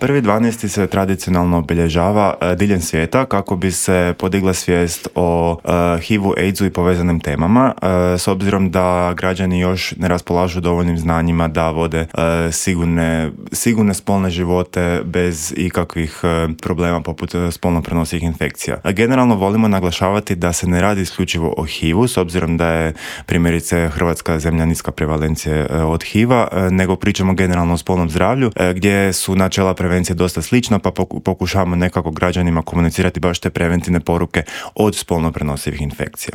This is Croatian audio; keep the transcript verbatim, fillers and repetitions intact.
Prvi dvanaesti se tradicionalno obilježava uh, diljem svijeta kako bi se podigla svijest o uh, H I V-u, AIDS-u i povezanim temama, uh, s obzirom da građani još ne raspolažu dovoljnim znanjima da vode uh, sigurne, sigurne spolne živote bez ikakvih uh, problema poput uh, spolno prenosivih infekcija. Uh, generalno volimo naglašavati da se ne radi isključivo o H I V-u, s obzirom da je primjerice Hrvatska zemlja niska prevalencije uh, od H I V-a, uh, nego pričamo generalno o spolnom zdravlju, uh, gdje su načela prevencije dosta slična, pa pokušavamo nekako građanima komunicirati baš te preventivne poruke od spolno prenosivih infekcija.